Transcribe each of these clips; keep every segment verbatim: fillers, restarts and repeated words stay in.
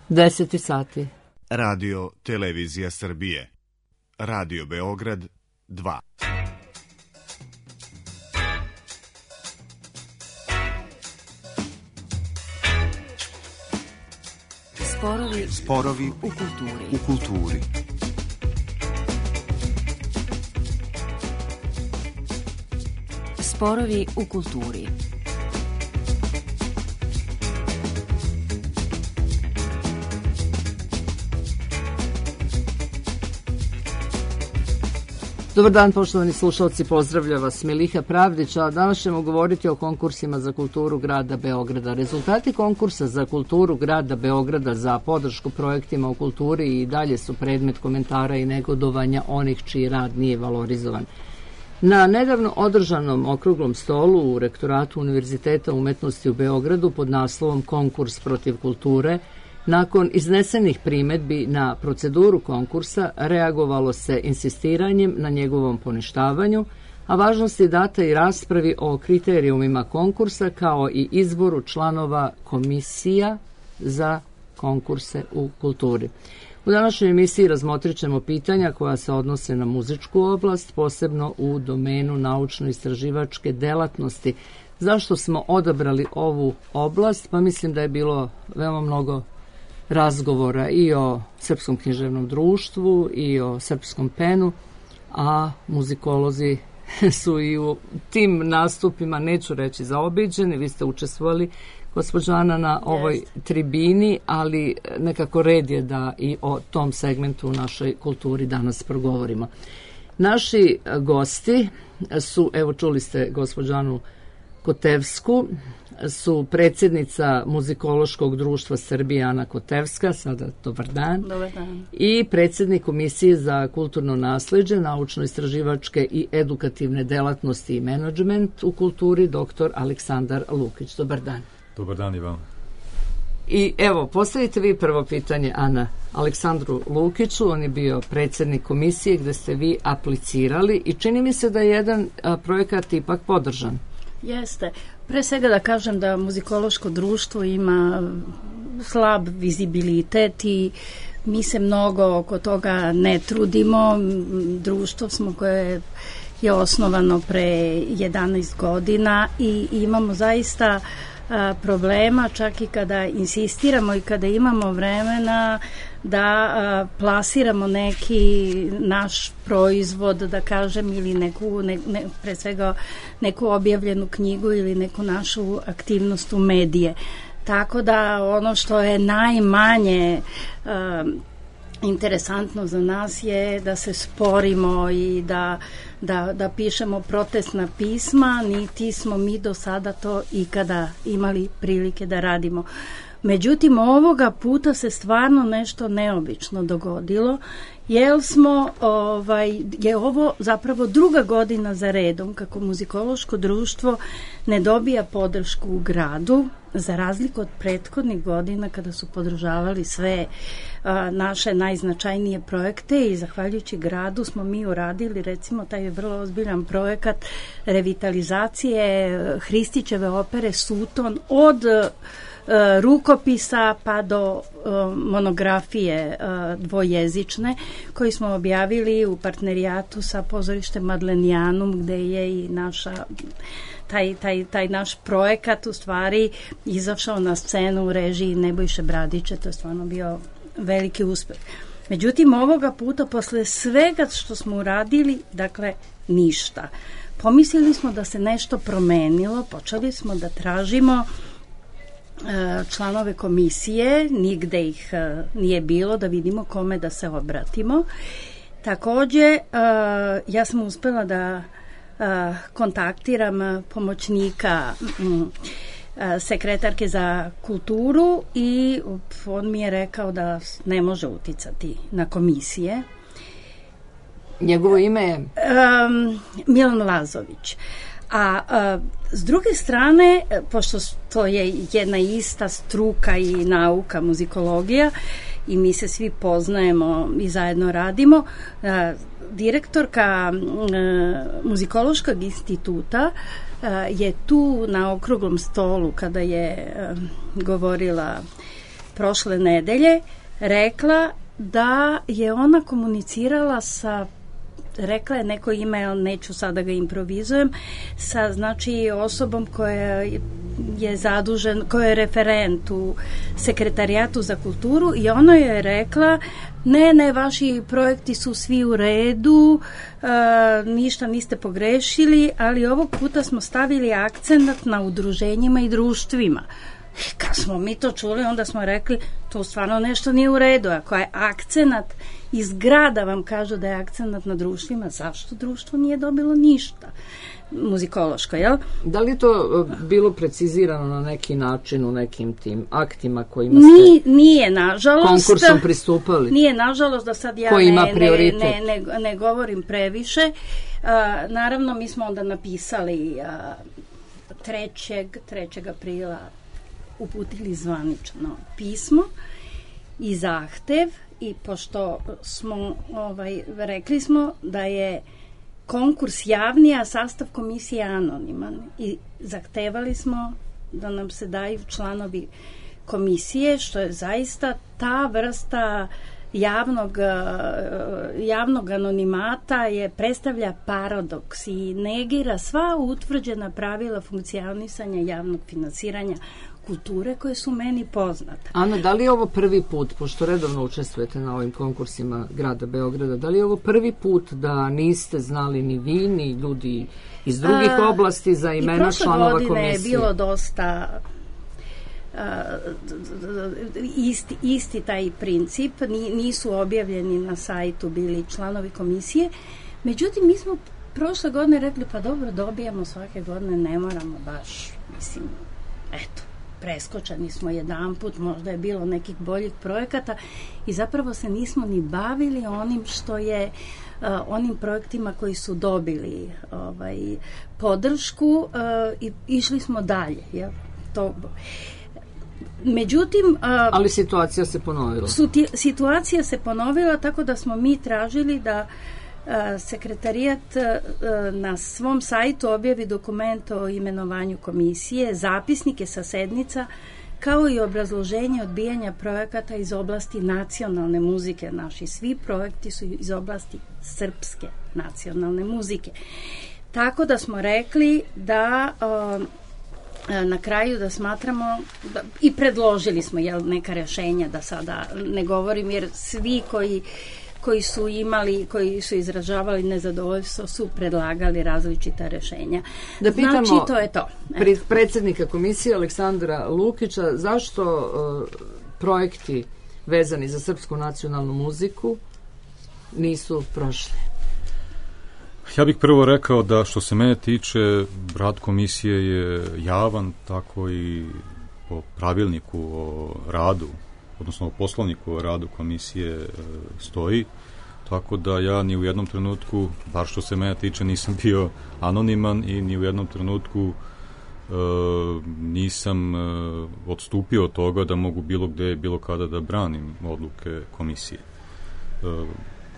deset sati. Radio Televizija Srbije. Radio Beograd dva. Sporovi, Sporovi u kulturi. u kulturi. Sporovi u kulturi. Dobar dan, poštovani slušalci, pozdravlja vas Miliha Pravdić, a danas ćemo govoriti o konkursima za kulturu grada Beograda. Rezultati konkursa za kulturu grada Beograda za podršku projektima u kulturi i dalje su predmet komentara i negodovanja onih čiji rad nije valorizovan. Na nedavno održanom okruglom stolu u Rektoratu Univerziteta umetnosti u Beogradu pod naslovom Konkurs protiv kulture, nakon iznesenih primedbi na proceduru konkursa, reagovalo se insistiranjem na njegovom poništavanju, a važnost je data i raspravi o kriterijumima konkursa kao i izboru članova komisija za konkurse u kulturi. U današnjoj emisiji razmotrit ćemo pitanja koja se odnose na muzičku oblast, posebno u domenu naučno-istraživačke delatnosti. Zašto smo odabrali ovu oblast? Pa mislim da je bilo veoma mnogo razgovora i o Srpskom književnom društvu i o Srpskom penu, a muzikolozi su i u tim nastupima, neću reći zaobiđeni. Vi ste učestvovali, gospođo Ana, na ovoj yes. tribini, ali nekako red je da i o tom segmentu u našoj kulturi danas progovorimo. Naši gosti su, evo čuli ste gospođu Anu Kotevsku, su predsjednica Muzikološkog društva Srbije Ana Kotevska, sada dobar dan, dobar dan, i predsjednik Komisije za kulturno nasleđe, naučno-istraživačke i edukativne delatnosti i menadžment u kulturi, doktor Aleksandar Lukić. Dobar dan. Dobar dan i vam. I evo, postavite vi prvo pitanje, Ana, Aleksandru Lukiću. On je bio predsjednik komisije gde ste vi aplicirali i čini mi se da je jedan a, projekat ipak podržan. Jeste. Pre svega da kažem da muzikološko društvo ima slab vizibilitet i mi se mnogo oko toga ne trudimo. Društvo smo koje je osnovano pre jedanaest godina i imamo zaista a, problema, čak i kada insistiramo i kada imamo vremena da a, plasiramo neki naš proizvod, da kažem, ili neku, ne, ne, pre svega neku objavljenu knjigu ili neku našu aktivnost u medije. Tako da ono što je najmanje a, interesantno za nas je da se sporimo i da, da, da pišemo protestna pisma, niti smo mi do sada to ikada imali prilike da radimo. Međutim, ovoga puta se stvarno nešto neobično dogodilo, jer smo, ovaj, je ovo zapravo druga godina za redom kako muzikološko društvo ne dobija podršku u gradu, za razliku od prethodnih godina kada su podržavali sve a, naše najznačajnije projekte i zahvaljujući gradu smo mi uradili recimo taj vrlo ozbiljan projekat revitalizacije Hristićeve opere Suton od rukopisa pa do uh, monografije uh, dvojezične koji smo objavili u partnerijatu sa pozorištem Madlenijanum, gde je i naša taj, taj, taj naš projekat u stvari izašao na scenu u režiji Nebojše Bradića. To je stvarno bio veliki uspeh. Međutim, ovoga puta posle svega što smo uradili, dakle ništa. Pomislili smo da se nešto promenilo, počeli smo da tražimo članove komisije, nigde ih nije bilo, da vidimo kome da se obratimo. Takođe, ja sam uspela da kontaktiram pomoćnika sekretarke za kulturu i on mi je rekao da ne može uticati na komisije. Njegovo ime je? Um, Milan Lazović. A, a s druge strane, pošto to je jedna ista struka i nauka, muzikologija, i mi se svi poznajemo i zajedno radimo, a, direktorka a, muzikološkog instituta a, je tu na okruglom stolu kada je a, govorila prošle nedelje rekla da je ona komunicirala sa, rekla je neko ime, ali neću sada ga improvizujem, sa znači osobom koja je zadužen, koja je referent u Sekretarijatu za kulturu i ona je rekla ne, ne, vaši projekti su svi u redu, e, ništa niste pogrešili, ali ovog puta smo stavili akcenat na udruženjima i društvima. Kad smo mi to čuli, onda smo rekli, to stvarno nešto nije u redu. Ako je akcenat iz grada vam kažu da je akcenat na društvima, zašto društvo nije dobilo ništa muzikološko, jel? Da li to bilo precizirano na neki način u nekim tim aktima kojima ste Ni, nije, nažalost, konkursom pristupali? Nije, nažalost, da sad ja Koji ima ne, prioritet? ne, ne, ne govorim previše. Uh, naravno, mi smo onda napisali uh, trećeg aprila uputili zvanično pismo i zahtev i pošto smo ovaj, rekli smo da je konkurs javni, a sastav komisije anoniman i zahtevali smo da nam se daju članovi komisije, što je zaista ta vrsta javnog, javnog anonimata je predstavlja paradoks i negira sva utvrđena pravila funkcionisanja javnog finansiranja kulture koje su meni poznate. Ana, da li je ovo prvi put, pošto redovno učestvujete na ovim konkursima grada Beograda, da li je ovo prvi put da niste znali ni vi, ni ljudi iz drugih A, oblasti za imena članova komisije? I prošle godine je bilo dosta a, isti, isti taj princip, nisu objavljeni na sajtu bili članovi komisije, međutim mi smo prošle godine rekli pa dobro, dobijamo svake godine, ne moramo baš, mislim, eto, preskočeni smo jedan put, možda je bilo nekih boljih projekata i zapravo se nismo ni bavili onim što je uh, onim projektima koji su dobili ovaj, podršku uh, i išli smo dalje. Jel? To, međutim... Uh, Ali situacija se ponovila. Suti, situacija se ponovila tako da smo mi tražili da Sekretarijat na svom sajtu objavi dokument o imenovanju komisije, zapisnike sa sednica, kao i obrazloženje odbijanja projekata iz oblasti nacionalne muzike. Naši svi projekti su iz oblasti srpske nacionalne muzike. Tako da smo rekli da na kraju da smatramo da, i predložili smo jel, neka rešenja, da sada ne govorim, jer svi koji koji su imali, koji su izražavali nezadovoljstvo, su predlagali različita rešenja. Da pitamo, znači, to je to. Eto. Predsjednika komisije Aleksandra Lukića, zašto uh, projekti vezani za srpsku nacionalnu muziku nisu prošli? Ja bih prvo rekao da što se mene tiče, rad komisije je javan, tako i po pravilniku o radu, odnosno o poslovniku o radu komisije e, stoji, tako da ja ni u jednom trenutku, bar što se mene tiče, nisam bio anoniman i ni u jednom trenutku e, nisam e, odstupio od toga da mogu bilo gde, bilo kada da branim odluke komisije. E,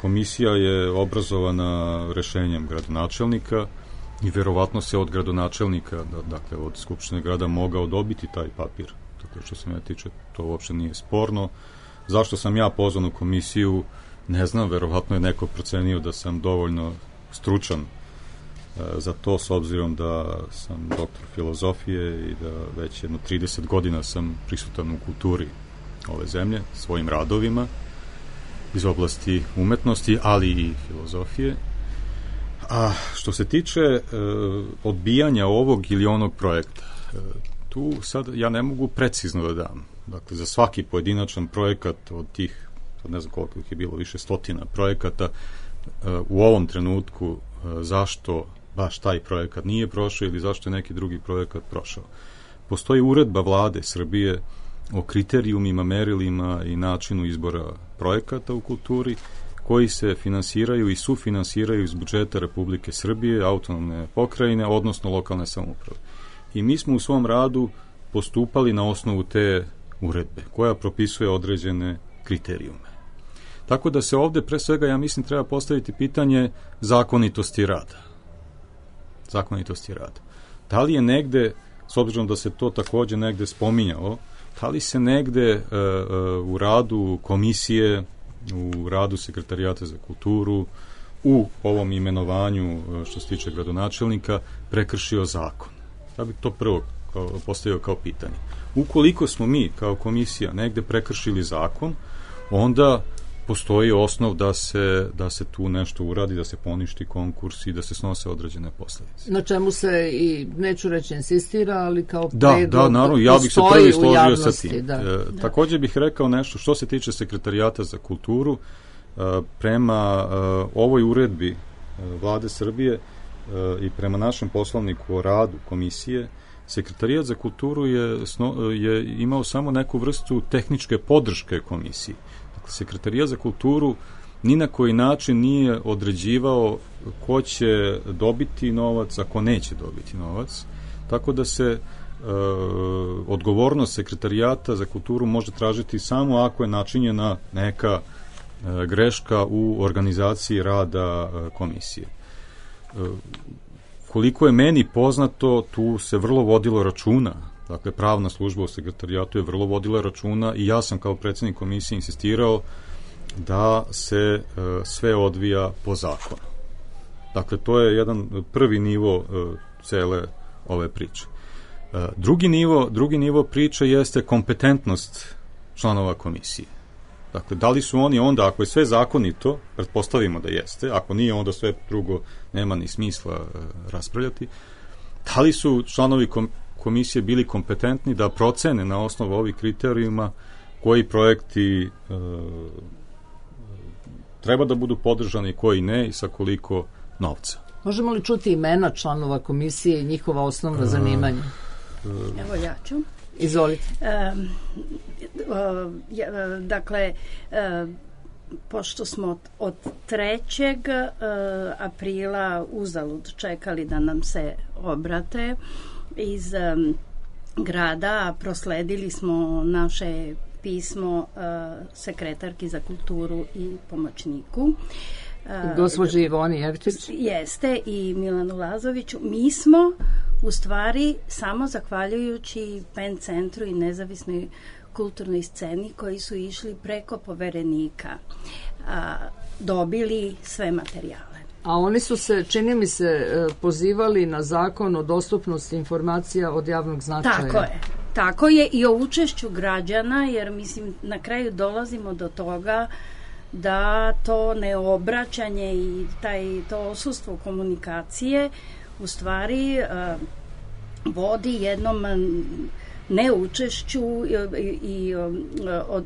komisija je obrazovana rešenjem gradonačelnika i verovatno se od gradonačelnika, da, dakle od Skupštine grada, mogao dobiti taj papir. Tako što se me tiče, to uopšte nije sporno. Zašto sam ja pozvan u komisiju, ne znam, verovatno je neko procenio da sam dovoljno stručan e, za to, s obzirom da sam doktor filozofije i da već jedno trideset godina sam prisutan u kulturi ove zemlje, svojim radovima iz oblasti umetnosti, ali i filozofije. A što se tiče e, odbijanja ovog ili onog projekta, e, tu sad ja ne mogu precizno da dam. Dakle, za svaki pojedinačan projekat od tih, ne znam koliko ih je bilo, više stotina projekata, u ovom trenutku zašto baš taj projekat nije prošao ili zašto je neki drugi projekat prošao. Postoji uredba vlade Srbije o kriterijumima, merilima i načinu izbora projekata u kulturi koji se finansiraju i sufinansiraju iz budžeta Republike Srbije, autonomne pokrajine, odnosno lokalne samouprave. I mi smo u svom radu postupali na osnovu te uredbe, koja propisuje određene kriterijume. Tako da se ovde, pre svega, ja mislim, treba postaviti pitanje zakonitosti rada. Zakonitosti rada. Da li je negde, s obzirom da se to takođe negde spominjalo, da li se negde uh, uh, u radu komisije, u radu sekretarijata za kulturu, u ovom imenovanju uh, što se tiče gradonačelnika, prekršio zakon? Ja bih to prvo kao, postavio kao pitanje. Ukoliko smo mi kao komisija negde prekršili zakon, onda postoji osnov da se, da se tu nešto uradi, da se poništi konkurs i da se snose određene posledice. Na čemu se i, neću reći insistira, ali kao da, predlog da, naravno, ja bih se prvi složio javnosti, sa tim. Da. E, da. Također bih rekao nešto što se tiče sekretarijata za kulturu. E, prema e, ovoj uredbi e, Vlade Srbije e, i prema našem poslovniku o radu komisije, sekretarijat za kulturu je, sno, je imao samo neku vrstu tehničke podrške komisiji. Dakle, sekretarijat za kulturu ni na koji način nije određivao ko će dobiti novac, a ko neće dobiti novac. Tako da se e, odgovornost sekretarijata za kulturu može tražiti samo ako je načinjena neka e, greška u organizaciji rada e, komisije. E, koliko je meni poznato, tu se vrlo vodilo računa. Dakle, pravna služba u sekretarijatu je vrlo vodila računa i ja sam kao predsjednik komisije insistirao da se e, sve odvija po zakonu. Dakle, to je jedan prvi nivo e, cele ove priče. E, drugi nivo, drugi nivo priče jeste kompetentnost članova komisije. Dakle, da li su oni onda, ako je sve zakonito, pretpostavimo da jeste, ako nije, onda sve drugo nema ni smisla e, raspravljati, da li su članovi kom, komisije bili kompetentni da procene na osnovu ovih kriterijuma koji projekti e, treba da budu podržani, koji ne i sa koliko novca. Možemo li čuti imena članova komisije i njihova osnovna zanimanja? Evo ja ću. Izvolite. Um, uh, ja, dakle, uh, pošto smo od trećeg aprila uzalud čekali da nam se obrate iz um, grada, prosledili smo naše pismo uh, sekretarki za kulturu i pomoćniku. Uh, Gospođi Ivoni Jevčić. Jeste, i Milanu Lazoviću. Mi smo u stvari samo zahvaljujući Pen centru i nezavisnoj kulturnoj sceni koji su išli preko poverenika a, dobili sve materijale. A oni su se, čini mi se, pozivali na zakon o dostupnosti informacija od javnog značaja. Tako je. Tako je i o učešću građana, jer mislim na kraju dolazimo do toga da to neobraćanje i taj, to odsustvo komunikacije u stvari a, vodi jednom neučešću i, i od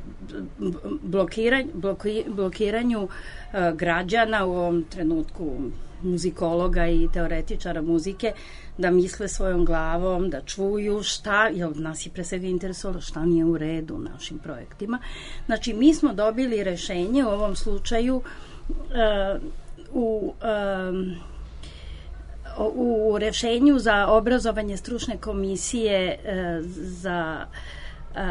blokiranju, bloki, blokiranju a, građana, u ovom trenutku muzikologa i teoretičara muzike, da misle svojom glavom, da čuju šta, jer nas je pre svega interesovalo šta nije u redu u našim projektima. Znači, mi smo dobili rešenje u ovom slučaju uh, u um, u rešenju za obrazovanje stručne komisije uh, za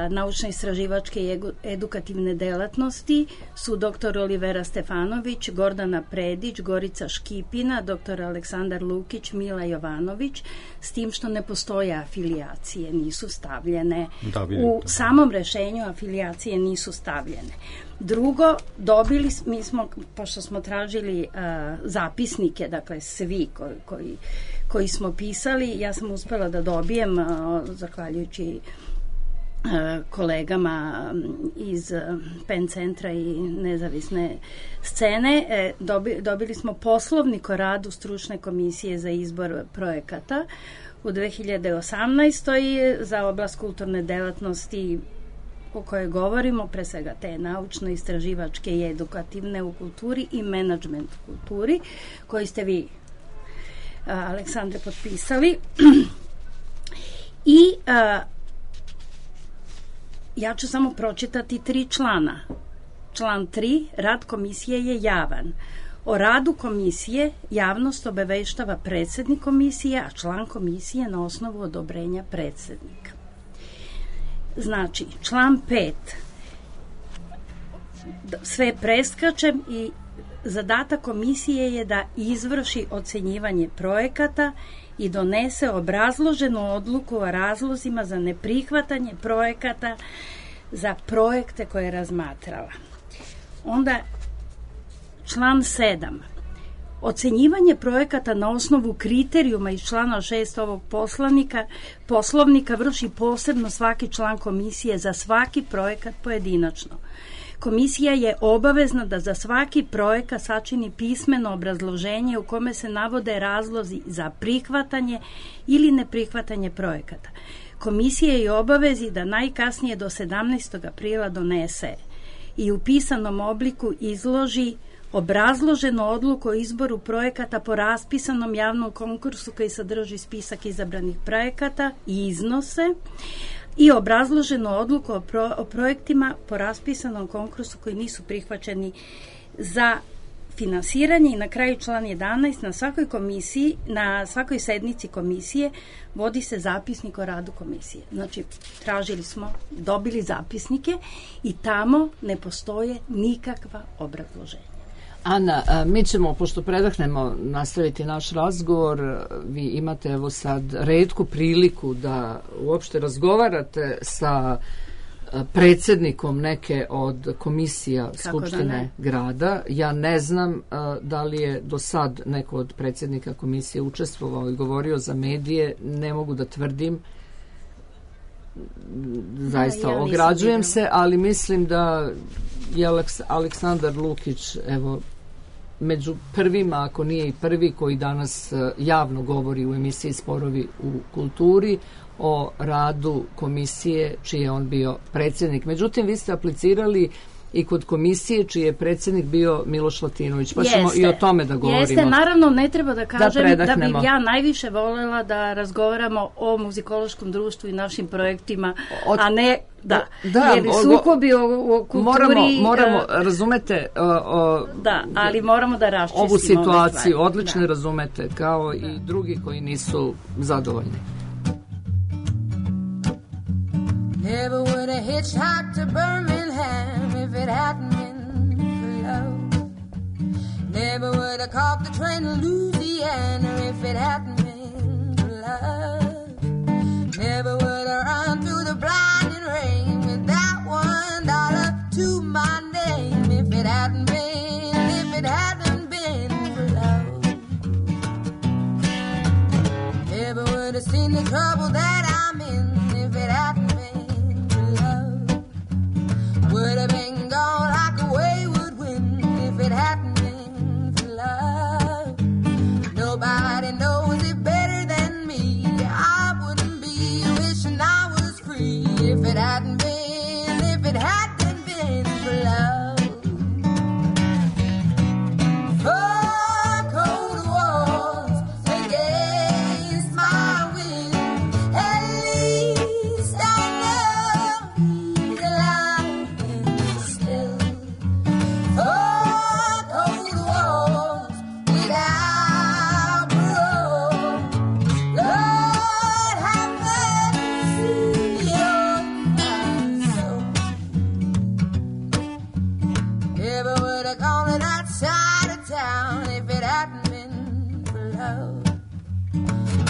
naučno-istraživačke i edukativne delatnosti su doktor Olivera Stefanović, Gordana Predić, Gorica Škipina, doktor Aleksandar Lukić, Mila Jovanović, s tim što ne postoje afilijacije, nisu stavljene. Da, u samom rešenju afilijacije nisu stavljene. Drugo, dobili, mi smo, pošto smo tražili uh, zapisnike, dakle svi koji, koji, koji smo pisali, ja sam uspela da dobijem, uh, zahvaljujući kolegama iz Pen centra i nezavisne scene, dobili smo poslovnik o radu stručne komisije za izbor projekata u dve hiljade osamnaestoj za oblast kulturne delatnosti o kojoj govorimo, pre svega te naučno-istraživačke i edukativne u kulturi i menadžment u kulturi, koji ste vi, Aleksandre, potpisali. I a, ja ću samo pročitati tri člana. Član tri. Rad komisije je javan. O radu komisije javnost obaveštava predsednik komisije, a član komisije na osnovu odobrenja predsednika. Znači, član pet. Sve preskačem i zadatak komisije je da izvrši ocenjivanje projekata i donese obrazloženu odluku o razlozima za neprihvatanje projekata za projekte koje je razmatrala. Onda član sedam. Ocenjivanje projekata na osnovu kriterijuma iz člana šest ovog poslanika, poslovnika vrši posebno svaki član komisije za svaki projekat pojedinačno. Komisija je obavezna da za svaki projekat sačini pismeno obrazloženje u kome se navode razlozi za prihvatanje ili neprihvatanje projekata. Komisija je obavezi da najkasnije do sedamnaestog aprila donese i u pisanom obliku izloži obrazloženu odluku o izboru projekata po raspisanom javnom konkursu koji sadrži spisak izabranih projekata i iznose i obrazloženu odluku o, pro, o projektima po raspisanom konkursu koji nisu prihvaćeni za finansiranje. I na kraju član jedanaest. Na svakoj komisiji, na svakoj sednici komisije vodi se zapisnik o radu komisije. Znači, tražili smo, dobili zapisnike i tamo ne postoje nikakva obrazloženja. Ana, mi ćemo, pošto predahnemo, nastaviti naš razgovor. Vi imate evo sad retku priliku da uopšte razgovarate sa predsjednikom neke od komisija Kako Skupštine grada. Ja ne znam da li je do sad neko od predsjednika komisije učestvovao i govorio za medije. Ne mogu da tvrdim. Zaista ja, ja ograđujem se, ali mislim da je Aleksandar Lukić evo među prvima, ako nije i prvi, koji danas javno govori u emisiji Sporovi u kulturi o radu komisije čiji je on bio predsjednik. Međutim, vi ste aplicirali i kod komisije čiji je predsjednik bio Miloš Latinović, pa ćemo i o tome da govorimo. Jeste, naravno ne treba da kažem da, da bih ja najviše voljela da razgovaramo o muzikološkom društvu i našim projektima, od, a ne da, da jer sukobi o, o kulturi... Moramo, moramo uh, razumete o, o, da, ali moramo da raščistimo ovu situaciju, odlično da. Razumete, kao da. I drugi koji nisu zadovoljni. Never would have hitchhiked to Birmingham if it hadn't been for love. Never would have caught the train to Louisiana if it hadn't been for love. Never would have run through the blinding rain with that one dollar to my name if it hadn't been, if it hadn't been for love. Never would have seen the trouble that I'm in if it hadn't been. Would have been gone like a wayward wind if it hadn't been for love. Nobody knows it better than me. I wouldn't be wishing I was free if it hadn't been, if it hadn't been for love. Four cold walls against my will. At least I know he's alive. Four cold walls without parole. Lord have mercy on my soul. Never would have gone to that side of town if it hadn't been for love.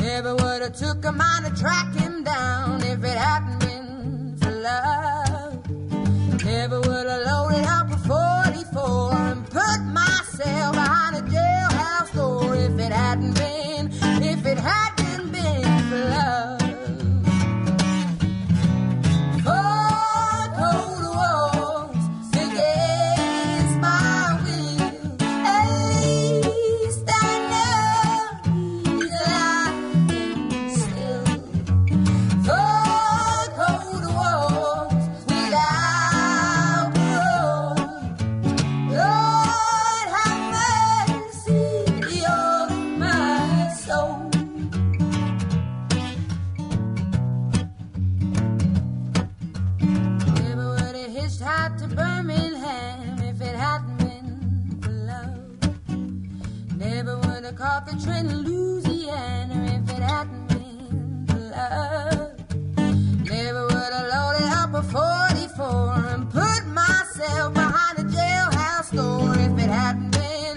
Never would have took a mind to track him down if it hadn't been for love. Never would have loaded up a forty-four and put myself behind a jailhouse door if it hadn't been, if it hadn't been for love. Four cold walls against my will. At least I know he's alive still. Four cold walls without parole. Lord have mercy on my soul. Never would have hitchhiked to Birmingham if it hadn't been for love. Never would have caught the train to Louisiana if it hadn't been for love. Never would have loaded up a forty-four and put myself behind a jailhouse door if it hadn't been,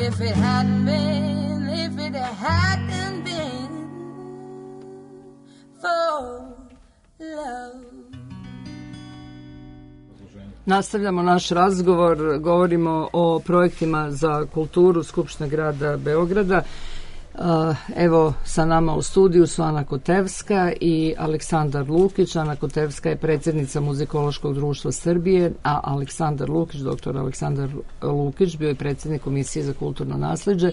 if it hadn't been, if it hadn't been for love. Nastavljamo naš razgovor, govorimo o projektima za kulturu Skupštine grada Beograda. Evo, sa nama u studiju su Ana Kotevska i Aleksandar Lukić. Ana Kotevska je predsjednica Muzikološkog društva Srbije, a Aleksandar Lukić, doktor Aleksandar Lukić, bio je predsjednik Komisije za kulturno nasleđe,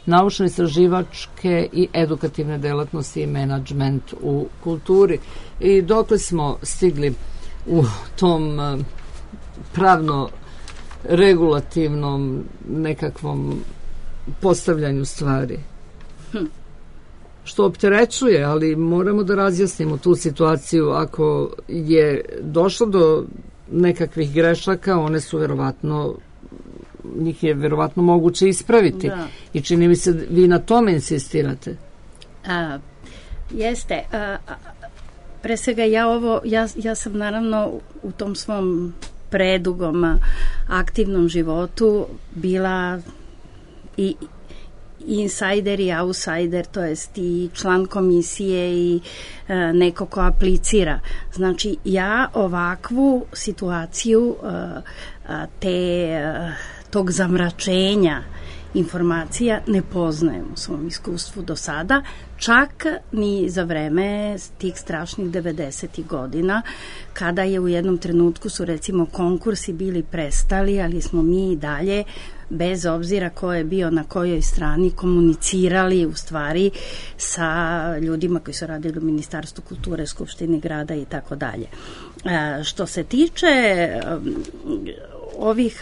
naučno-istraživačke i edukativne delatnosti i menadžment u kulturi. I dokle smo stigli u tom pravno-regulativnom nekakvom postavljanju stvari? Hm. Što opterećuje, ali moramo da razjasnimo tu situaciju. Ako je došlo do nekakvih grešaka, one su verovatno, njih je verovatno moguće ispraviti. Da. I čini mi se, vi na tome insistirate. A, jeste. A, a, pre svega ja ovo, ja, ja sam naravno u tom svom predugom aktivnom životu bila i insider i outsider, to jest i član komisije i e, neko ko aplicira. Znači, ja ovakvu situaciju e, te, e, tog zamračenja informacija ne poznajem u svom iskustvu do sada, čak ni za vreme tih strašnih devedesetih godina, kada je u jednom trenutku su recimo konkursi bili prestali, ali smo mi i dalje, bez obzira ko je bio na kojoj strani, komunicirali u stvari sa ljudima koji su radili u Ministarstvu kulture, Skupštini grada i tako dalje. Što se tiče ovih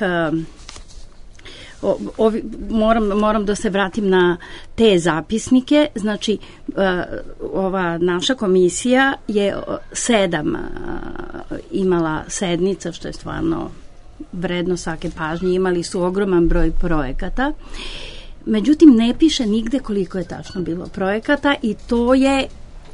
O, ovi, moram, moram da se vratim na te zapisnike. Znači, ova naša komisija je sedam imala sednica, što je stvarno vredno svake pažnje. Imali su ogroman broj projekata. Međutim, ne piše nigde koliko je tačno bilo projekata i to je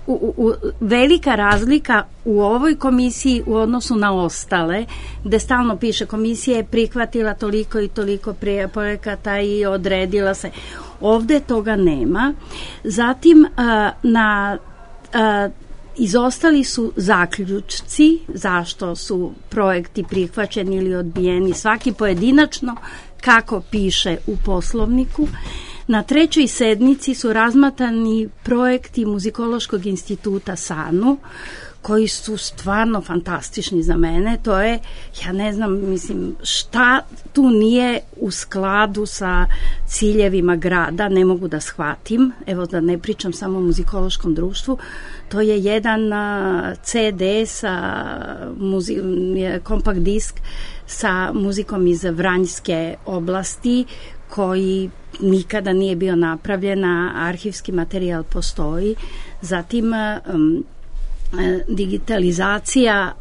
U, u, velika razlika u ovoj komisiji u odnosu na ostale, gde stalno piše komisija je prihvatila toliko i toliko projekata i odredila se. Ovde toga nema. Zatim a, na a, izostali su zaključci zašto su projekti prihvaćeni ili odbijeni, svaki pojedinačno kako piše u poslovniku. Na trećoj sednici su razmatrani projekti Muzikološkog instituta SANU, koji su stvarno fantastični za mene. To je, ja ne znam, mislim, šta tu nije u skladu sa ciljevima grada, ne mogu da shvatim. Evo, da ne pričam samo o muzikološkom društvu. To je jedan ce de sa muzi, kompakt disk sa muzikom iz Vranjske oblasti, koji nikada nije bio napravljen, a arhivski materijal postoji. Zatim um, digitalizacija uh,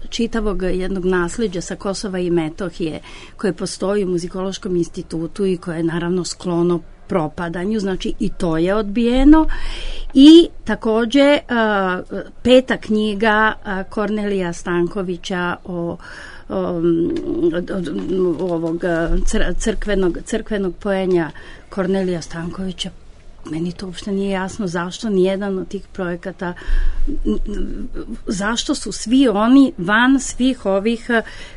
čitavog jednog nasleđa sa Kosova i Metohije koje postoji u Muzikološkom institutu i koje je naravno sklono propadanju, znači i to je odbijeno. I takođe uh, peta knjiga uh, Kornelija Stankovića o Um, od, od, ovog crkvenog, crkvenog poenja Kornelija Stankovića, meni to uopšte nije jasno zašto nijedan od tih projekata, zašto su svi oni van svih ovih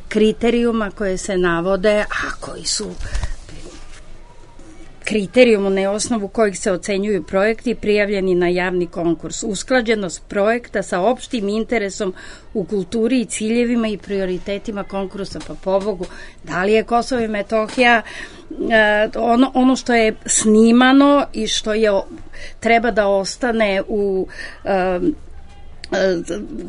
kriterijuma koje se navode, a koji su kriterijumu na osnovu kojih se ocenjuju projekti prijavljeni na javni konkurs. Usklađenost projekta sa opštim interesom u kulturi i ciljevima i prioritetima konkursa. Pa pobogu, da li je Kosovo i Metohija ono, ono što je snimano i što je treba da ostane u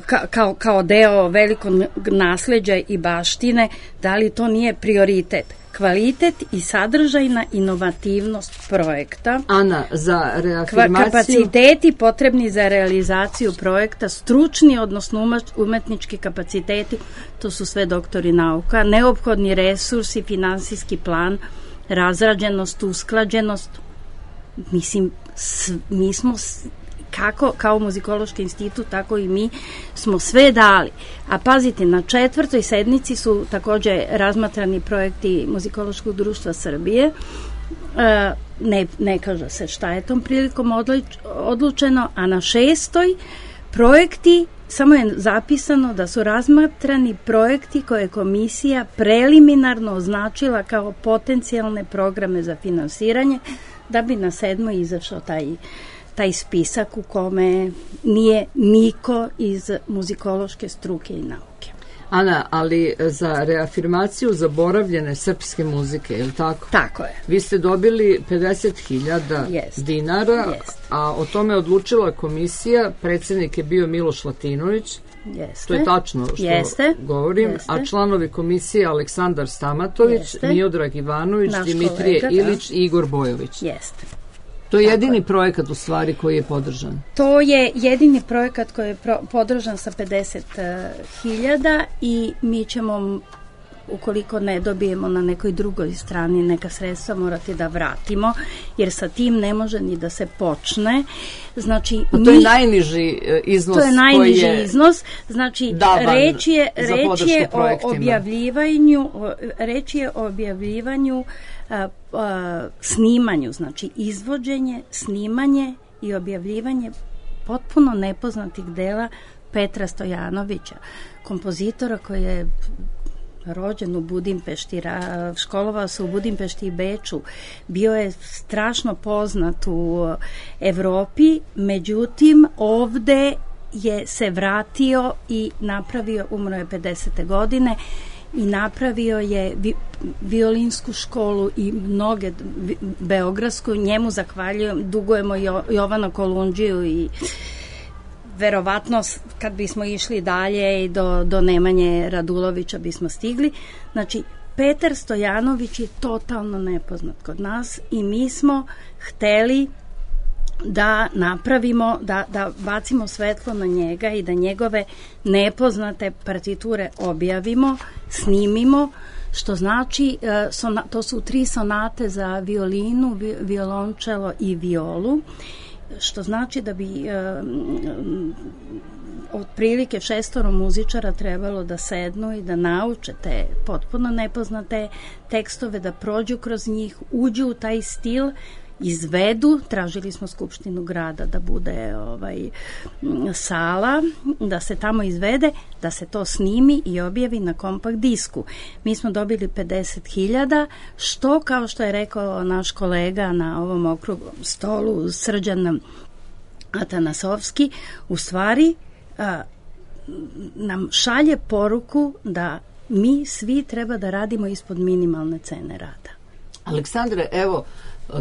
Ka, kao, kao deo velikog nasleđa i baštine, da li to nije prioritet? Kvalitet i sadržajna inovativnost projekta. Ana, za reafirmaciju... Kapaciteti potrebni za realizaciju projekta, stručni, odnosno umetnički kapaciteti, to su sve doktori nauka, neophodni resursi, finansijski plan, razrađenost, usklađenost. Mislim, mi smo... Kako, kao Muzikološki institut, tako i mi smo sve dali. A pazite, na četvrtoj sednici su takođe razmatrani projekti Muzikološkog društva Srbije ne, ne kaže se šta je tom prilikom odlučeno, a na šestoj projekti, samo je zapisano da su razmatrani projekti koje je komisija preliminarno označila kao potencijalne programe za finansiranje, da bi na sedmoj izašao taj, taj spisak u kome nije niko iz muzikološke struke i nauke. Ana, ali za reafirmaciju zaboravljene srpske muzike, je li tako? Tako je. Vi ste dobili pedeset hiljada dinara, Jest. a o tome odlučila komisija, predsjednik je bio Miloš Latinović, Jeste. to je tačno što Jeste. govorim, Jeste. a članovi komisije Aleksandar Stamatović, Jeste. Miodrag Ivanović, Naš Dimitrije kolega, Ilić i Igor Bojović. Jeste. To je jedini projekat u stvari koji je podržan. To je jedini projekat koji je pro, podržan sa pedeset hiljada i mi ćemo, ukoliko ne dobijemo na nekoj drugoj strani neka sredstva, morati da vratimo, jer sa tim ne može ni da se počne. Znači, a to mi, je najniži iznos to je najniži koji je iznos. Znači, reč je, reč je o objavljivanju, reč je o objavljivanju a, a, snimanju, znači izvođenje, snimanje i objavljivanje potpuno nepoznatih dela Petra Stojanovića, kompozitora koji je rođen u Budimpešti, školovao se u Budimpešti i Beču, bio je strašno poznat u Evropi, međutim ovde je se vratio i napravio, umro je pedesete godine, i napravio je vi, violinsku školu i mnoge vi, beogradsku, njemu zahvaljujem, dugujemo jo, Jovana Kolundžiju i verovatno kad bismo išli dalje i do, do Nemanje Radulovića bismo stigli. Znači, Petar Stojanović je totalno nepoznat kod nas i mi smo hteli da napravimo, da, da bacimo svetlo na njega i da njegove nepoznate partiture objavimo, snimimo, što znači, to su tri sonate za violinu, violončelo i violu, što znači da bi um, otprilike šestoro muzičara trebalo da sednu i da nauče te potpuno nepoznate tekstove, da prođu kroz njih, uđu u taj stil, izvedu, tražili smo Skupštinu grada da bude ovaj sala, da se tamo izvede, da se to snimi i objavi na kompakt disku. Mi smo dobili pedeset hiljada, što, kao što je rekao naš kolega na ovom okruglom stolu, Srđan Atanasovski, u stvari a, nam šalje poruku da mi svi treba da radimo ispod minimalne cene rada. Aleksandre, evo,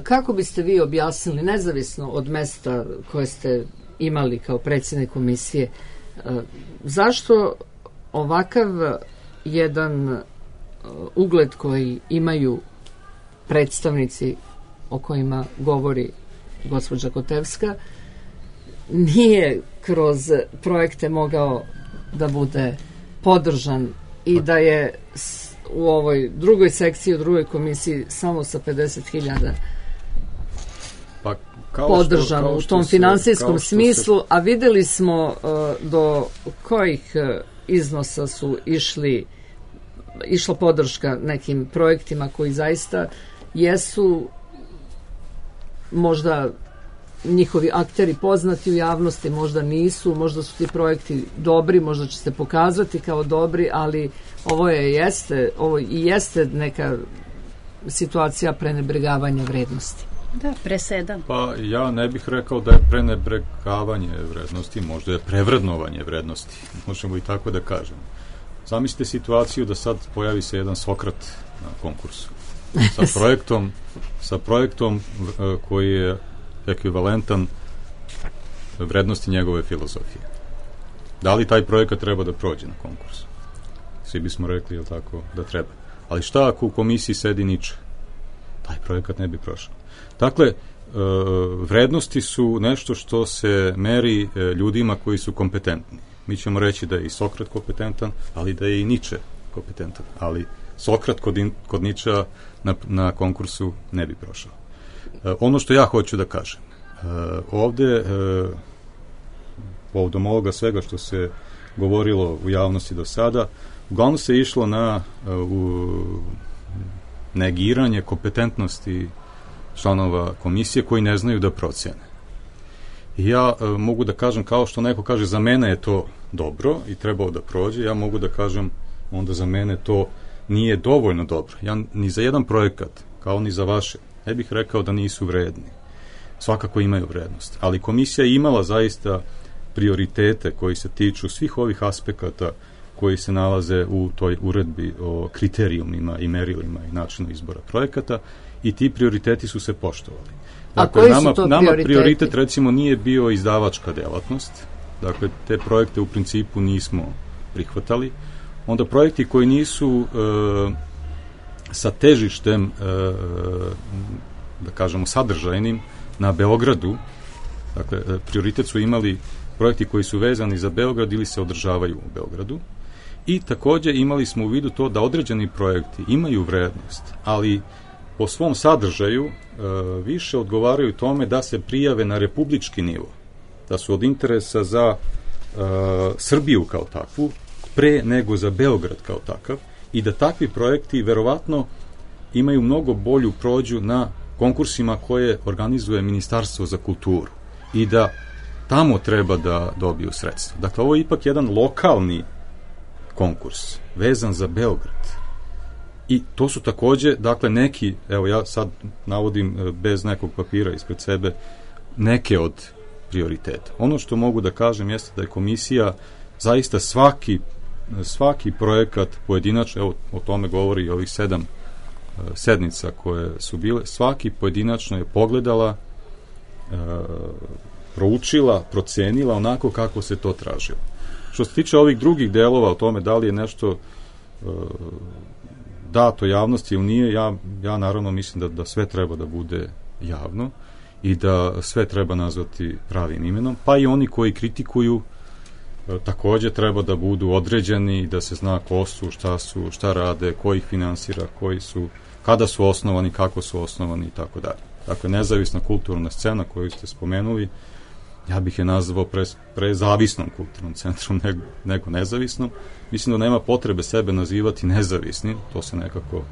kako biste vi objasnili, nezavisno od mesta koje ste imali kao predsjednik komisije, zašto ovakav jedan ugled koji imaju predstavnici o kojima govori gospođa Kotevska nije kroz projekte mogao da bude podržan i da je u ovoj drugoj sekciji, u drugoj komisiji samo sa pedeset hiljada pa, kao podržano što, u tom se, finansijskom smislu, se... a videli smo uh, do kojih uh, iznosa su išli išla podrška nekim projektima koji zaista jesu možda njihovi akteri poznati u javnosti, možda nisu, možda su ti projekti dobri, možda će se pokazati kao dobri, ali ovo je jeste, ovo i jeste neka situacija prenebregavanja vrednosti. Da, presedan. Pa ja ne bih rekao da je prenebregavanje vrednosti, možda je prevrednovanje vrednosti, možemo i tako da kažemo. Zamislite situaciju da sad pojavi se jedan Sokrat na konkursu sa projektom, sa projektom koji je ekvivalentan vrednosti njegove filozofije. Da li taj projekat treba da prođe na konkursu? Svi bismo rekli, jel tako, da treba. Ali šta ako u komisiji sedi Niče? Taj projekat ne bi prošao. Dakle, vrednosti su nešto što se meri ljudima koji su kompetentni. Mi ćemo reći da je i Sokrat kompetentan, ali da je i Niče kompetentan. Ali Sokrat kod, in, kod Ničea na, na konkursu ne bi prošao. Ono što ja hoću da kažem, ovde, povodom ovoga svega što se govorilo u javnosti do sada, uglavnom se išlo na u negiranje kompetentnosti članova komisije koji ne znaju da procene. I ja e, mogu da kažem, kao što neko kaže, za mene je to dobro i trebao da prođe, ja mogu da kažem, onda za mene to nije dovoljno dobro. Ja ni za jedan projekat, kao ni za vaše, ne bih rekao da nisu vredni. Svakako imaju vrednost. Ali komisija je imala zaista prioritete koji se tiču svih ovih aspekata koji se nalaze u toj uredbi o kriterijumima i merilima i načinu izbora projekata i ti prioriteti su se poštovali. Dakle, A koji nama, su to nama prioriteti? prioritet recimo nije bio izdavačka delatnost, dakle te projekte u principu nismo prihvatali. Onda projekti koji nisu e, sa težištem, e, da kažemo sadržajnim, na Beogradu, dakle prioritet su imali projekti koji su vezani za Beograd ili se održavaju u Beogradu. I takođe imali smo u vidu to da određeni projekti imaju vrednost, ali po svom sadržaju e, više odgovaraju tome da se prijave na republički nivo, da su od interesa za e, Srbiju kao takvu, pre nego za Beograd kao takav, i da takvi projekti verovatno imaju mnogo bolju prođu na konkursima koje organizuje Ministarstvo za kulturu i da tamo treba da dobiju sredstva. Dakle, ovo je ipak jedan lokalni konkurs, vezan za Beograd. I to su takođe, dakle, neki, evo ja sad navodim bez nekog papira ispred sebe, neke od prioriteta. Ono što mogu da kažem jeste da je komisija zaista svaki, svaki projekat pojedinačno, evo o tome govori i ovih sedam sednica koje su bile, svaki pojedinačno je pogledala, e, proučila, procenila onako kako se to tražilo. Što se tiče ovih drugih delova o tome da li je nešto e, dato javnosti ili nije, ja, ja naravno mislim da, da sve treba da bude javno i da sve treba nazvati pravim imenom, pa i oni koji kritikuju e, takođe treba da budu određeni, da se zna ko su, šta su, šta rade, ko ih finansira, koji su, kada su osnovani, kako su osnovani i tako dalje. Dakle, nezavisna kulturna scena koju ste spomenuli, ja bih je nazvao pre, prezavisnom kulturnom centrom nego, nego nezavisnom. Mislim da nema potrebe sebe nazivati nezavisnim, to se nekako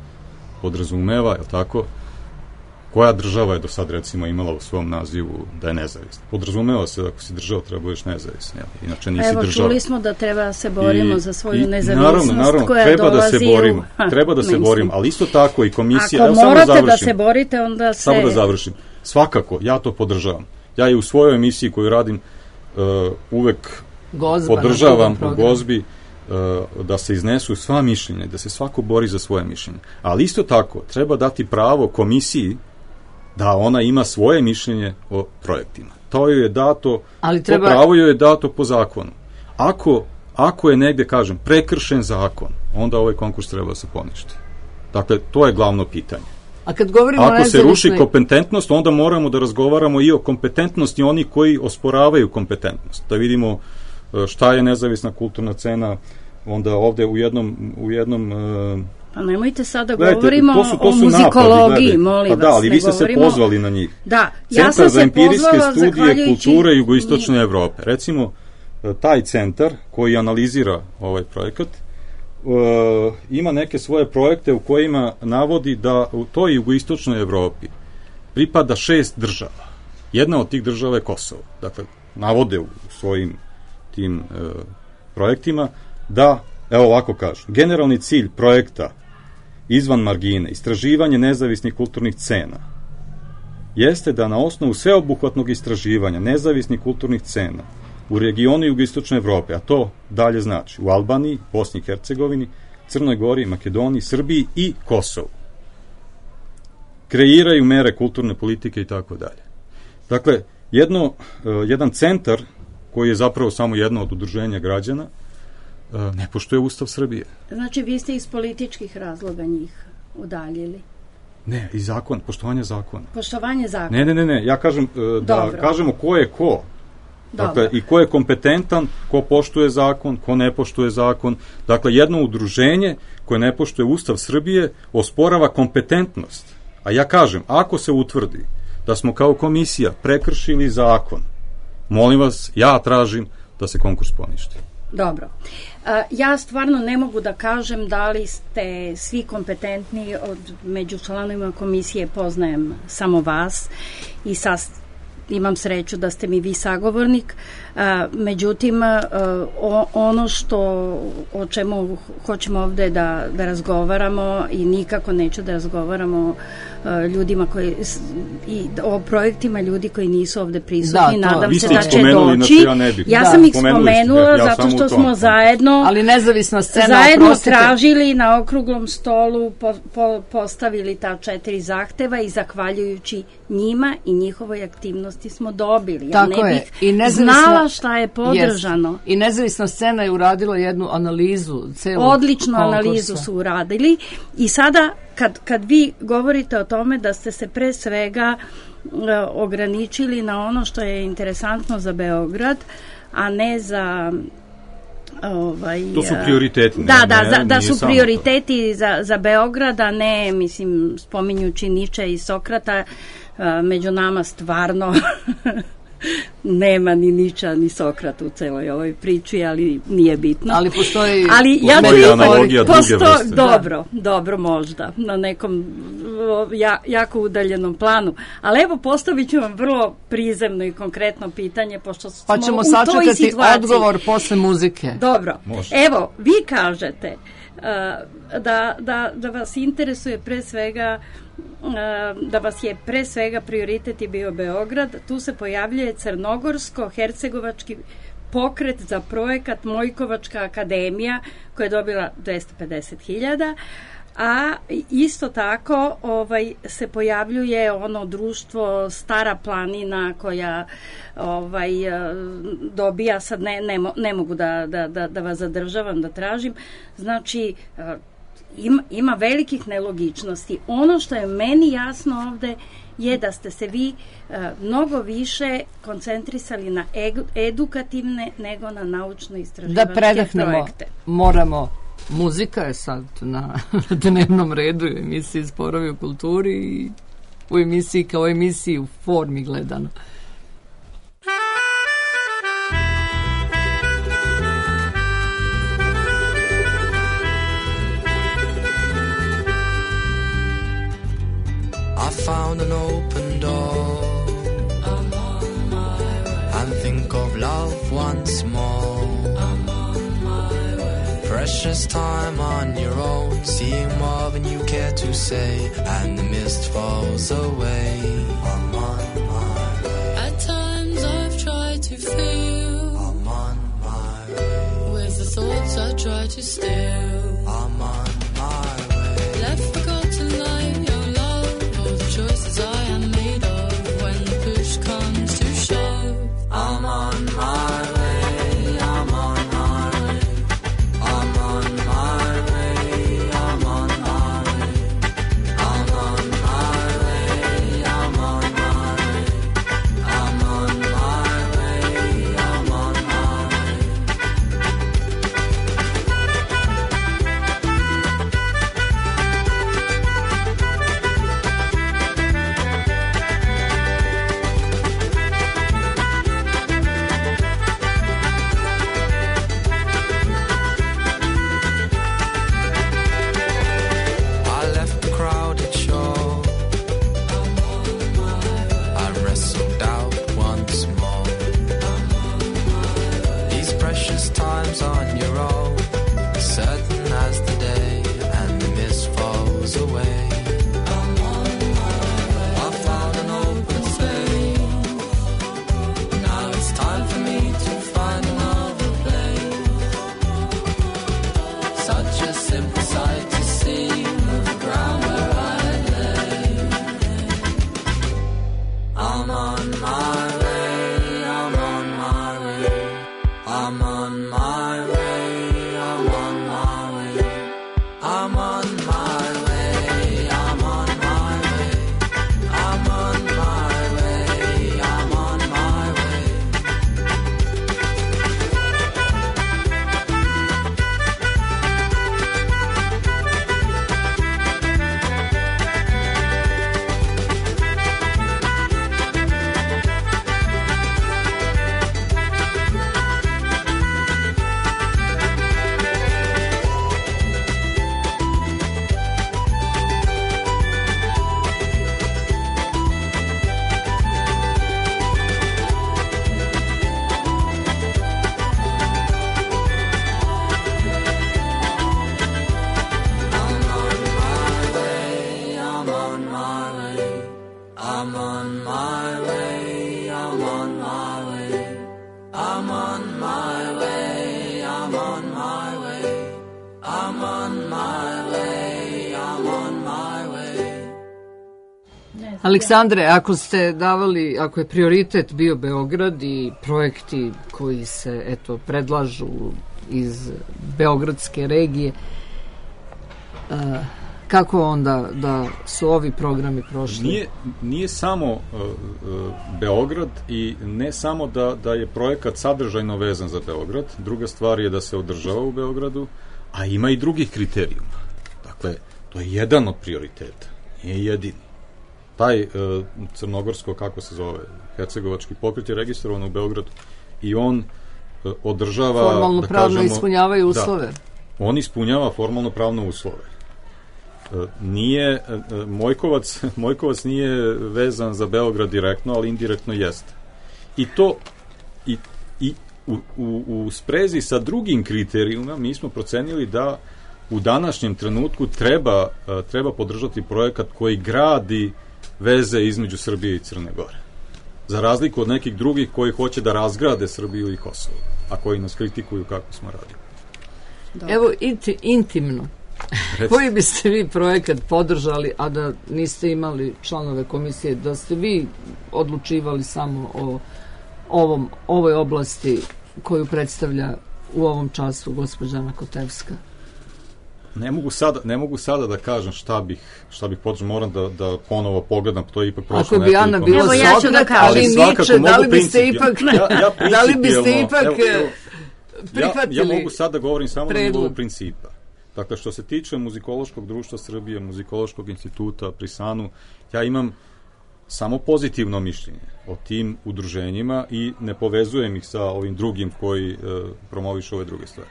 podrazumeva, je li tako? Koja država je do sad recimo imala u svom nazivu da je nezavisna? Podrazumeva se da ako si država treba budeš nezavisna, jel? Inače nisi Evo, država. Čuli smo da treba se borimo I, za svoju i, nezavisnost naravno, naravno, koja treba dolazi da se borimo, u... treba da se borimo, ali isto tako i komisija... Ako evo, morate samo da, da se borite, onda se... Samo da završim. Svakako, ja to podržavam. Ja i u svojoj emisiji koju radim uh, uvek Gozba, podržavam u Gozbi uh, da se iznesu sva mišljenja, da se svako bori za svoje mišljenje. Ali isto tako, treba dati pravo komisiji da ona ima svoje mišljenje o projektima. To joj je dato, ali treba... to pravo joj je dato po zakonu. Ako, ako je negde, kažem, prekršen zakon, onda ovaj konkurs treba da se poništi. Dakle, to je glavno pitanje. A kad govorimo Ako nezavisnoj... se ruši kompetentnost, onda moramo da razgovaramo i o kompetentnosti oni koji osporavaju kompetentnost. Da vidimo šta je nezavisna kulturna scena, onda ovde u jednom... U jednom Pa nemojte sada gledajte, govorimo to su, to o su muzikologiji, napadi, molim pa vas. Da, ali vi ste govorimo... se pozvali na njih. Da, Centar ja sam za se empirijske pozvala studije zahvaljujući... kulture jugoistočne Evrope. Recimo, taj centar koji analizira ovaj projekat uh, ima neke svoje projekte u kojima navodi da u toj jugoistočnoj Evropi pripada šest država. Jedna od tih država je Kosovo. Dakle, navode u svojim tim uh, projektima da, evo ovako kažu, generalni cilj projekta izvan margine, istraživanje nezavisnih kulturnih scena, jeste da na osnovu sveobuhvatnog istraživanja nezavisnih kulturnih scena u regionu jugoistočne Evrope, a to dalje znači u Albaniji, Bosni i Hercegovini, Crnoj Gori, Makedoniji, Srbiji i Kosovu, kreiraju mere kulturne politike i tako dalje. Dakle, jedno, jedan centar koji je zapravo samo jedno od udruženja građana, ne poštuje Ustav Srbije. Znači, vi ste iz političkih razloga njih udaljili? Ne, i zakon, poštovanje zakona. Poštovanje zakona? Ne, ne, ne, ne. Ja kažem da Dobro. kažemo ko je ko. Dakle, i ko je kompetentan, ko poštuje zakon, ko ne poštuje zakon. Dakle, jedno udruženje koje ne poštuje Ustav Srbije osporava kompetentnost. A ja kažem, ako se utvrdi da smo kao komisija prekršili zakon, molim vas, ja tražim da se konkurs poništi. Dobro. Ja stvarno ne mogu da kažem da li ste svi kompetentni, od među članovima komisije poznajem samo vas i sas, imam sreću da ste mi vi sagovornik. Međutim, ono što o čemu hoćemo ovde da, da razgovaramo i nikako neću da razgovaramo ljudima koji i o projektima ljudi koji nisu ovde prisutni, da, nadam se da će doći. Ja, ja sam ih spomenula ja zato što smo zajedno ali nezavisna scena zajedno oprostite. tražili na okruglom stolu po, po, postavili ta četiri zahteva i zahvaljujući njima i njihovoj aktivnosti smo dobili. Ja Tako ne je. bih I nezavisna, znala šta je podržano. Jest. I nezavisna scena je uradila jednu analizu celog Odličnu konkursa. analizu su uradili i sada kad, kad vi govorite o tome da ste se pre svega uh, ograničili na ono što je interesantno za Beograd, a ne za ovaj, to su prioriteti. Da, ne, da, ne, za, da su prioriteti za, za Beograd, a ne, mislim, spominjući Niče i Sokrata, uh, među nama stvarno nema ni Niča ni Sokrata u celoj ovoj priči, ali nije bitno. Ali postoji ali ja analogija druge vrste. Dobro, da. dobro možda, na nekom ja, jako udaljenom planu. Ali evo postavit ću vam vrlo prizemno i konkretno pitanje, pošto smo pa ćemo u toj situaciji. Odgovor posle muzike. Dobro, Može. Evo, vi kažete uh, da, da, da vas interesuje pre svega da vas je pre svega prioritet je bio Beograd, tu se pojavljuje Crnogorsko-hercegovački pokret za projekat Mojkovačka akademija koja je dobila dvesta pedeset hiljada, a isto tako ovaj, se pojavljuje ono društvo Stara planina koja ovaj, dobija, sad ne, ne, ne mogu da, da, da, da vas zadržavam, da tražim, znači Ima, ima velikih nelogičnosti. Ono što je meni jasno ovde je da ste se vi uh, mnogo više koncentrisali na egu, edukativne nego na naučno-istraživačke da predahnemo, projekte. Moramo, muzika je sad na dnevnom redu u emisiji Sporovi u kulturi i u emisiji kao emisiji u formi gledano. Found an open door. I'm on my way. And think of love once more. I'm on my way. Precious time on your own, seeing more than you care to say, and the mist falls away. I'm on my way. At times I've tried to fill. I'm on my way. With the thoughts I try to steal. I'm on my way. Left forgotten life. Choices I am made of when the push comes to shove. I'm on my way, I'm on my way. I'm on my way, I'm on my way. I'm on my way, I'm on my way. I'm on my way, I'm on my way. On your own, certain as the day, and the mist falls away. I'm on my way. I found an open space. Now it's time for me to find another place. Such a simple sight to see, the ground where I lay. I'm on my way. I'm on my way. I'm on my I'm on my way, I'm on my way, I'm on my way, I'm on my way, I'm on my way, I'm on my way. Aleksandre, ako ste davali, ako je prioritet bio Beograd i projekti koji se, eto, predlažu iz beogradske regije, uh, kako onda da su ovi programi prošli? Nije, nije samo uh, uh, Beograd i ne samo da, da je projekat sadržajno vezan za Beograd, druga stvar je da se održava u Beogradu, a ima i drugih kriterijuma. Dakle, to je jedan od prioriteta, nije jedini. Taj uh, crnogorsko, kako se zove, hercegovački pokret je registrovan u Beogradu i on uh, održava... Formalno da pravno kažemo, ispunjavaju uslove. Da, on ispunjava formalno pravno uslove. Uh, nije, uh, Mojkovac, Mojkovac nije vezan za Beograd direktno, ali indirektno jeste. I to i, i u, u, u sprezi sa drugim kriterijuma mi smo procenili da u današnjem trenutku treba, uh, treba podržati projekat koji gradi veze između Srbije i Crne Gore. Za razliku od nekih drugih koji hoće da razgrade Srbiju i Kosovo, a koji nas kritikuju kako smo radili. Dobro. Evo, inti, intimno. Koji biste vi projekat podržali, a da niste imali članove komisije, da ste vi odlučivali samo o ovom, ovoj oblasti koju predstavlja u ovom času gospođa Ana Kotevska? Ne mogu sada, ne mogu sada da kažem šta bih, šta bih podržao, moram da, da ponovo pogledam, to je ipak prošlo nekoliko. Ako bi Ana bila Sokrat, ja ali Niče, da li biste ipak, ja, ja da li biste ipak evo, evo, prihvatili ja, ja mogu sada da govorim samo predlog. Na nivou principa. Dakle, što se tiče Muzikološkog društva Srbije, Muzikološkog instituta pri Sanu, ja imam samo pozitivno mišljenje o tim udruženjima i ne povezujem ih sa ovim drugim koji uh, promovišu ove druge stvari.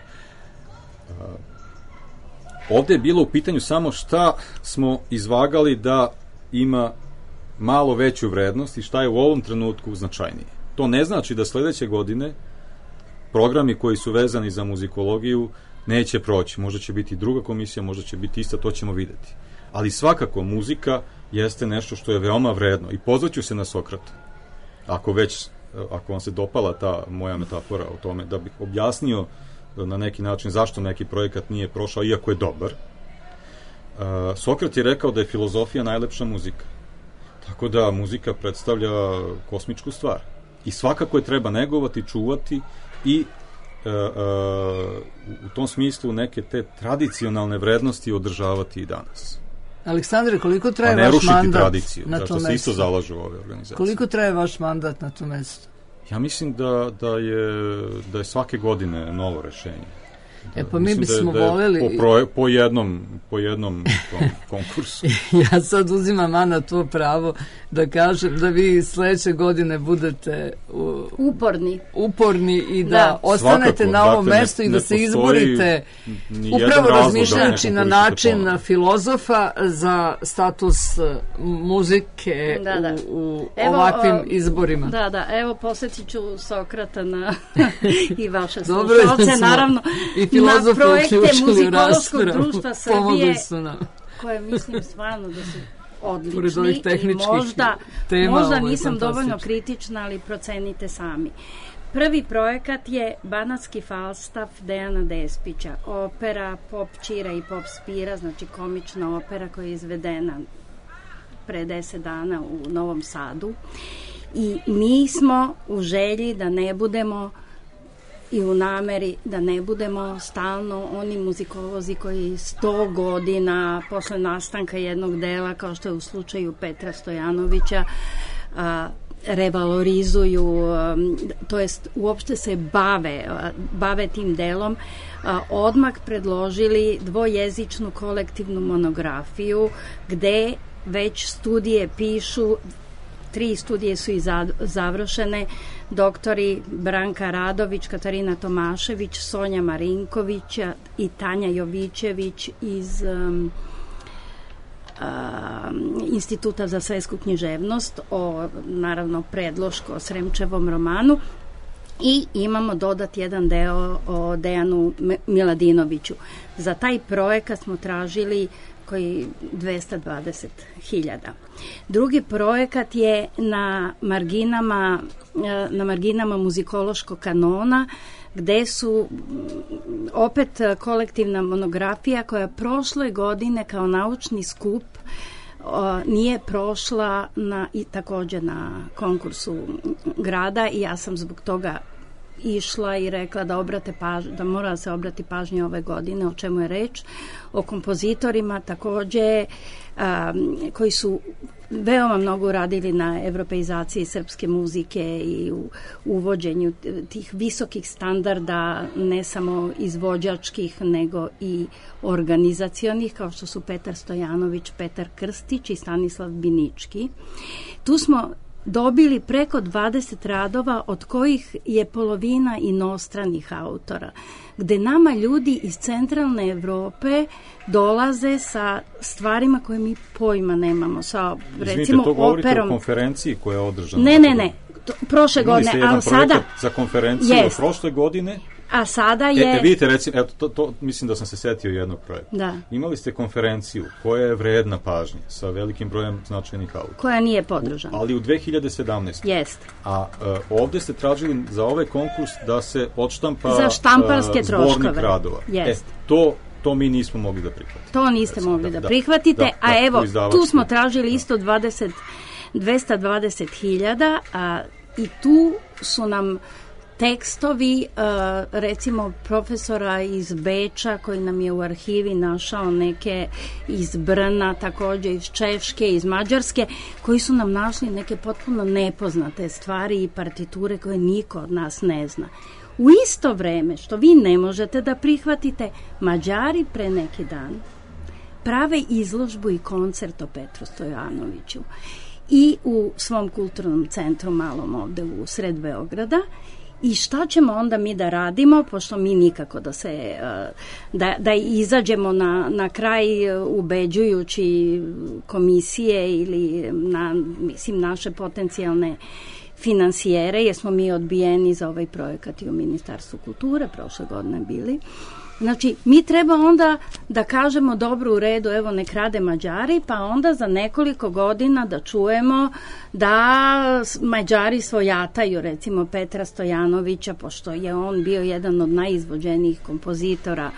Uh, Ovde je bilo u pitanju samo šta smo izvagali da ima malo veću vrednost i šta je u ovom trenutku značajnije. To ne znači da sledeće godine programi koji su vezani za muzikologiju neće proći. Možda će biti druga komisija, možda će biti ista, to ćemo videti. Ali svakako muzika jeste nešto što je veoma vredno i pozvaću se na Sokrata. Ako već, ako vam se dopala ta moja metafora o tome, da bih objasnio na neki način zašto neki projekat nije prošao, iako je dobar. Uh, Sokrat je rekao da je filozofija najlepša muzika. Tako da muzika predstavlja kosmičku stvar. I svakako je treba negovati, čuvati i uh, uh, u tom smislu neke te tradicionalne vrednosti održavati i danas. Aleksandre, koliko traje vaš mandat tradiciju, na tom mestu? Da se isto zalažu ove organizacije. Koliko traje vaš mandat na tom mestu? Ja mislim da, da, je, da je svake godine novo rešenje. E pa mi bismo da je, da voleli... Po, pro, po jednom, po jednom tom konkursu. Ja sad uzimam, Ana, to pravo da kažem da vi sledeće godine budete u, uporni. uporni i da, da. ostanete Svakako, na ovom dakle, mestu ne, i da se izborite upravo razmišljajući na način ponovno. Filozofa za status muzike da, da. u, u evo, ovakvim izborima. Da, da, evo posjetit ću Sokrata na i vaše Dobro, slušalce, naravno i filozofe na projekte Muzikološkog raspravu. društva Srbije, su koje mislim stvarno da su odlični i možda, tema, možda nisam dovoljno kritična, ali procenite sami. Prvi projekat je Banatski Falstaff Dejana Despića, opera Pop Čira i Pop Spira, znači komična opera koja je izvedena pre deset dana u Novom Sadu. I mi smo u želji da ne budemo i u nameri da ne budemo stalno oni muzikolozi koji sto godina posle nastanka jednog dela, kao što je u slučaju Petra Stojanovića, a, revalorizuju, a, to jest uopšte se bave, a, bave tim delom, a, odmah predložili dvojezičnu kolektivnu monografiju gde već studije pišu, tri studije su i završene, doktori Branka Radović, Katarina Tomašević, Sonja Marinković i Tanja Jovićević iz um, um, Instituta za svetsku književnost o, naravno, predloško o Sremčevom romanu. I imamo dodat jedan deo o Dejanu Miladinoviću. Za taj projekat smo tražili koji dvesta dvadeset hiljada. Drugi projekat je na marginama, na marginama muzikološkog kanona, gde su opet kolektivna monografija koja prošle godine kao naučni skup o, nije prošla na, i takođe na konkursu grada i ja sam zbog toga išla i rekla da obrate paž, da mora se obrati pažnje ove godine o čemu je reč, o kompozitorima takođe a, koji su veoma mnogo radili na evropeizaciji srpske muzike i u uvođenju tih visokih standarda, ne samo izvođačkih, nego i organizacionih, kao što su Petar Stojanović, Petar Krstić i Stanislav Binički. Tu smo dobili preko dvadeset radova, od kojih je polovina inostranih autora, gde nama ljudi iz centralne Evrope dolaze sa stvarima koje mi pojma nemamo, sa Izvinite, recimo to govorite operom. O konferenciji koja je održana. Ne, ne, ne, to, prošle godine, ali sada za konferenciju jest. Prošle godine. A sada je... E, e vidite, recimo, eto, to, to, mislim da sam se setio jednog projekta. Da. Imali ste konferenciju koja je vredna pažnje sa velikim brojem značajnih autora. Koja nije podržana. Ali u dve hiljade sedamnaestoj. Jeste. A uh, ovde ste tražili za ovaj konkurs da se odštampa za štamparske uh, zbornik troškove. radova. Jeste. E, to, to mi nismo mogli da prihvatimo. To niste recimo, mogli da, da prihvatite, da, a da, evo, tu smo tražili da. isto dvadeset, dvesta dvadeset hiljada, a i tu su nam tekstovi, recimo profesora iz Beča koji nam je u arhivi našao neke iz Brna, takođe iz Češke, iz Mađarske, koji su nam našli neke potpuno nepoznate stvari i partiture koje niko od nas ne zna. U isto vreme, što vi ne možete da prihvatite, Mađari pre neki dan prave izložbu i koncert o Petru Stojanoviću i u svom kulturnom centru malom ovde u sred Beograda. I šta ćemo onda mi da radimo, pošto mi nikako da se da, da izađemo na, na kraj ubeđujući komisije ili na, mislim, naše potencijalne finansijere, jer smo mi odbijeni za ovaj projekat i u Ministarstvu kulture prošle godine bili. Znači, mi treba onda da kažemo dobro, u redu, evo nek rade Mađari, pa onda za nekoliko godina da čujemo da Mađari svojataju, recimo Petra Stojanovića, pošto je on bio jedan od najizvođenijih kompozitora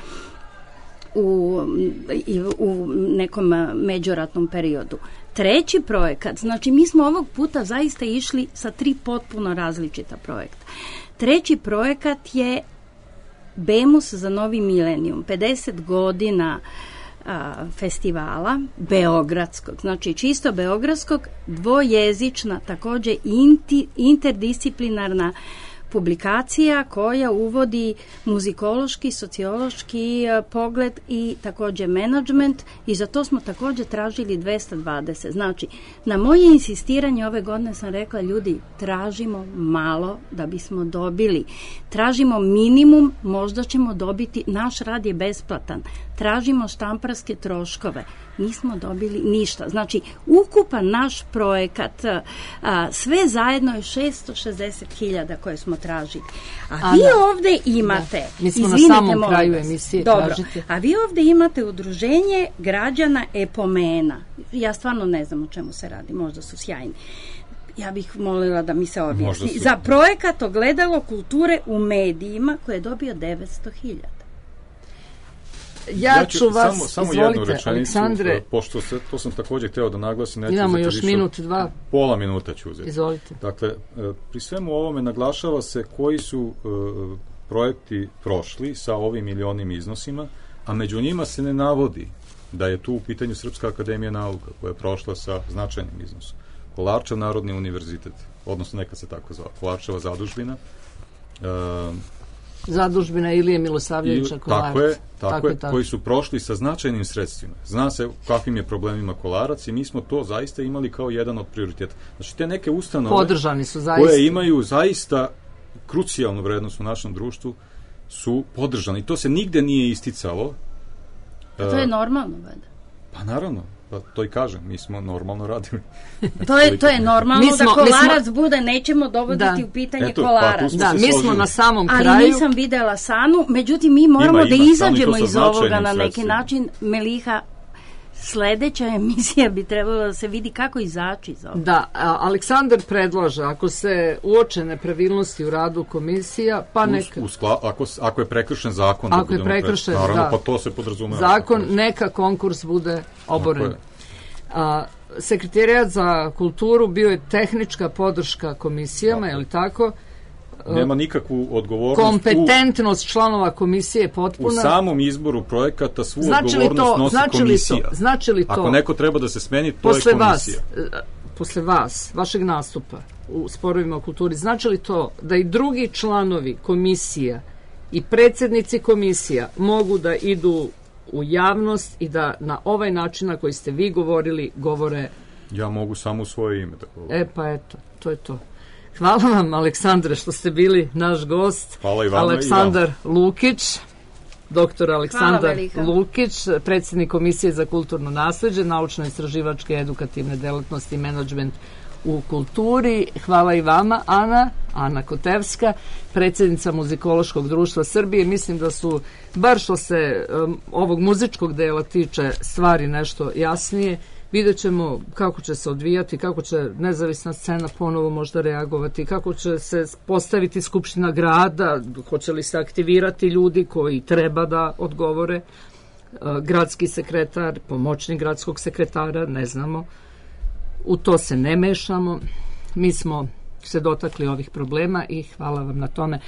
u, u nekom međuratnom periodu. Treći projekat, znači mi smo ovog puta zaista išli sa tri potpuno različita projekta. Treći projekat je Bemus za novi milenijum, pedeset godina a, festivala beogradskog, znači čisto beogradskog, dvojezična, takođe inti, interdisciplinarna publikacija koja uvodi muzikološki, sociološki pogled i takođe menadžment i za to smo takođe tražili dvesta dvadeset. Znači, na moje insistiranje ove godine sam rekla, ljudi, tražimo malo da bismo dobili. Tražimo minimum, možda ćemo dobiti, naš rad je besplatan. Tražimo štamparske troškove. Nismo dobili ništa. Znači, ukupan naš projekat, a, sve zajedno je šesto šezdeset hiljada koje smo tražili. A, a vi da. ovde imate, da. Mi smo izvinite, na samom kraju emisije dobro, tražite. A vi ovde imate udruženje građana Epomena. Ja stvarno ne znam o čemu se radi, možda su sjajni. Ja bih molila da mi se objasni. Su... Za projekat Ogledalo kulture u medijima koje je dobio devetsto hiljada. Ja, ja ću vas, samo, samo izvolite, jednu rečenicu, Aleksandre. Pošto se, to sam također hteo da naglasim. Imamo još više, minut, dva. Pola minuta ću uzeti. Izvolite. Dakle, pri svemu ovome naglašava se koji su uh, projekti prošli sa ovim milionim iznosima, a među njima se ne navodi da je tu u pitanju Srpska akademija nauka koja je prošla sa značajnim iznosom. Kolarčev Narodni univerzitet, odnosno neka se tako zvala, Kolarčeva zadužbina, uh, Zadužbina Ilije Milosavljevića Kolarac. Tako je, tako, tako je, tako. Koji su prošli sa značajnim sredstvima. Zna se kakvim je problemima Kolarac i mi smo to zaista imali kao jedan od prioriteta. Znači, te neke ustanove podržani su zaista, koje imaju zaista krucijalnu vrednost u našem društvu su podržani. I to se nigde nije isticalo. A to je normalno, valjda. Pa naravno. Pa to i kažem, mi smo normalno radili. To je, to je normalno Mi smo- da kolarac mi bude, nećemo dovoditi Da. u pitanje Eto, pa kolarac. tu smo Da, se mi smo složili. na samom Ali kraju. nisam videla Sanu, međutim mi moramo Ima, da ima, izađemo Sanu i to sa iz ovoga značajnim na neki sredstvima. način. Meliha, sledeća emisija bi trebala da se vidi kako izaći iz ovoga. Da, a, Aleksandar predlaže, ako se uoče nepravilnosti u radu komisija, pa neka... U, u skla, ako, s- ako je prekršen zakon, da Ako je budemo prekršen, pre- naravno, da. pa to se podrazumeva. Zakon, Tako je. neka konkurs bude oboren. Tako je. A, Sekretarijat za kulturu bio je tehnička podrška komisijama, je li tako? Nema nikakvu odgovornost Kompetentnost članova komisije je u, u potpuna. samom izboru projekata, svu Znači li odgovornost to, nosi znači li komisija. to, znači li to, Ako neko treba da se smeni, to posle je vas, komisija. e, posle vas, vašeg nastupa u sporovima o kulturi, znači li to da i drugi članovi komisija i predsjednici komisija mogu da idu u javnost i da na ovaj način na koji ste vi govorili, govore, Ja mogu samo u svoje ime. Tako. e pa eto, to je to. Hvala vam, Aleksandre, što ste bili naš gost. Hvala i vama i Aleksandar Lukić, doktor Aleksandar Velika. Lukić, predsjednik Komisije za kulturno nasleđe, naučno-istraživačke edukativne delatnosti i menadžment u kulturi. Hvala i vama, Ana, Ana Kotevska, predsjednica Muzikološkog društva Srbije. Mislim da su, bar što se um, ovog muzičkog dela tiče, stvari nešto jasnije. Vidjet ćemo kako će se odvijati, kako će nezavisna scena ponovo možda reagovati, kako će se postaviti Skupština grada, hoće li se aktivirati ljudi koji treba da odgovore, e, gradski sekretar, pomoćnik gradskog sekretara, ne znamo. U to se ne mešamo. Mi smo se dotakli ovih problema i hvala vam na tome.